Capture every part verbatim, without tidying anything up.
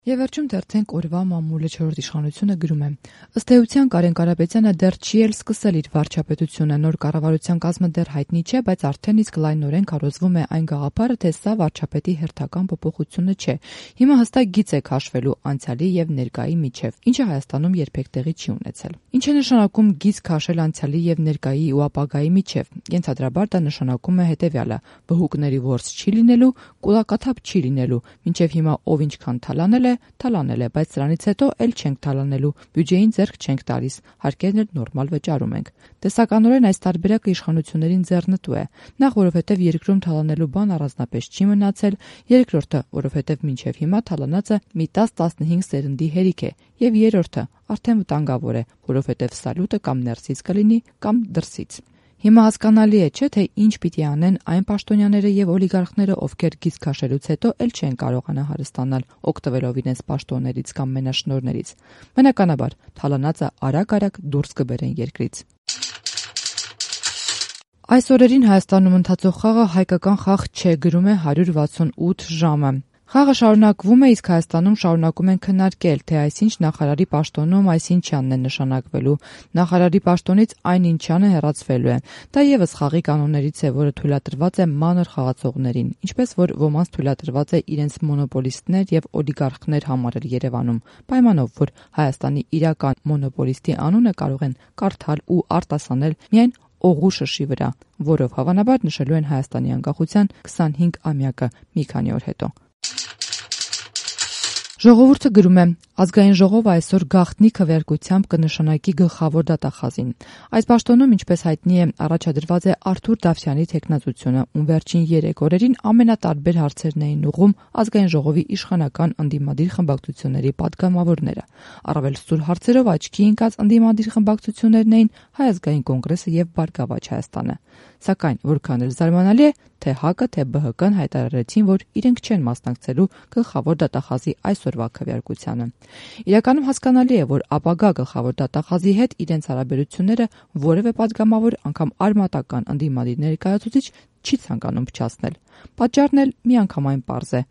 Եվ վերջում դերձենք օրվա մամուլը չորրորդ իշխանությունը գրում է. ըստ էության Կարեն Կարապետյանը դեռ չի էլ սկսել իր վարչապետությունը, նոր կառավարության կազմը դեռ հայտնի չէ, բայց արդեն իսկ լայնորեն քարոզվում է այն գաղափարը, թե սա վարչապետի հերթական փոփոխությունը չէ։ Հիմա հստակ գիծ է քաշվելու անցյալի եւ ներկայի միջև, ինչը Հայաստանում երբեք տեղի չի ունեցել։ Ինչ է նշանակում գիծ քաշել անցյալի եւ ներկայի ու ապագայի միջև։ Ենթադրաբար դա նշանակում է հետեւյալը. բհուկների ворս չի լինելու, կուլակաթափ չի լինելու, մինչև հիմա ով ինչքան թալանել է, թալանել է, բայց սրանից հետո էլ չենք թալանելու, բյուջեին ձեռք չենք տալիս, հարկերն էլ նորմալ վճարում ենք։ Տեսականորեն այս տարբերակը իշխանություններին ձեռնտու է։ Նախ, որովհետև երկրում թալանելու բան առանձնապես չի մնացել, երկրորդը, որովհետև մինչև հիմա թալանածը մի տաս-տասնհինգ սերնդի հերիք է, եւ երրորդը արդեն վտանգավոր է, որովհետև սալյուտը կամ ներսից կլինի, կամ դրսից։ Հիմա հասկանալի է, չէ՞, թե ինչ պիտի անեն այն պաշտոնյաները եւ օլիգարխները, ովքեր գիծ քաշելուց հետո էլ չեն կարողանա հարստանալ, օգտվելով իրենց պաշտոններից կամ մենաշնորհներից։ Բնականաբար, թալանածը արագ-արագ դուրս կբերեն երկրից։ Այս օրերին Հայաստանում ընթացող խաղը հայկական խաղ չէ, գրում է հարյուր վաթսունութ ժամը։ Խաղը շարունակվում է, իսկ Հայաստանում շարունակում են քննարկել, թե այսինչ նախարարի պաշտոնում այսինչյանն է նշանակվելու։ Նախարարի պաշտոնից այնինչյանը հեռացվելու է։ Դա եւս խաղի կանոններից է, որը թույլատրված է մանր խաղացողներին, ինչպես որ ոմանց թույլատրված է իրենց մոնոպոլիստներ եւ օլիգարխներ համարել Երևանում, պայմանով, որ Հայաստանի իրական մոնոպոլիստի անունը կարող են կարդալ ու արտասանել միայն օղու շշի վրա, որով հավանաբար նշելու են Հայաստանի անկախության քսանհինգ-ամյակը մի քանի օր հետո։ Ժողովուրդը գրում է. Ազգային ժողովը այսօր գաղտնի քվեարկությամբ կնշանակի գլխավոր դատախազին։ Այս պաշտոնում, ինչպես հայտնի է, առաջադրված է Արթուր Դավթյանի թեկնածությունը, ում վերջին երեք օրերին ամենատարբեր հարցերն էին ուղղում ազգային ժողովի իշխանական ընդդիմադիր խմբակցությունների պատգամավորները։ Առավել սուր հարցերով աչքի ընկած ընդդիմադիր խմբակցություններն էին Հայ ազգային կոնգրեսը եւ Բարգավաճ Հայաստանը։ Սակայն որքան էլ զարմանալի է, թե ՀԱԿ-ը, թե ԲՀԿ-ն հայտարարեցին, որ իրենք չեն մասնակցելու գլխավոր դատախազի այսօրվա քվեարկությանը։ Իրականում հասկանալի է, որ ապագա գլխավոր դատախազի հետ իրենց հարաբերությունները որևէ պատգամավոր անգամ արմատական ընդդիմադիր ներկայացուցիչ չի ցանկանում փչացնել։ Պատճառն էլ միանգամայն պարզ է։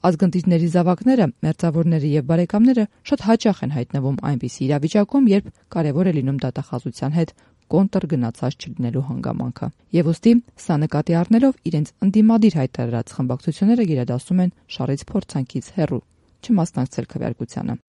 Ազգընտիրների զավակները, մերձավորները եւ բարեկամները շատ հաճախ են հայտնվում այնպիսի իրավիճակում, երբ կարևոր է լինում դատախազության հետ կոնտր գնացած չլինելու հանգամանքը։ Եվ ուստի սա նկատի առնելով իրենց ընդդիմադիր հայտարարած խմբակցությունները գերադասում են շարից փորձանքից հեռու չմասնակցել քվեարկությանը։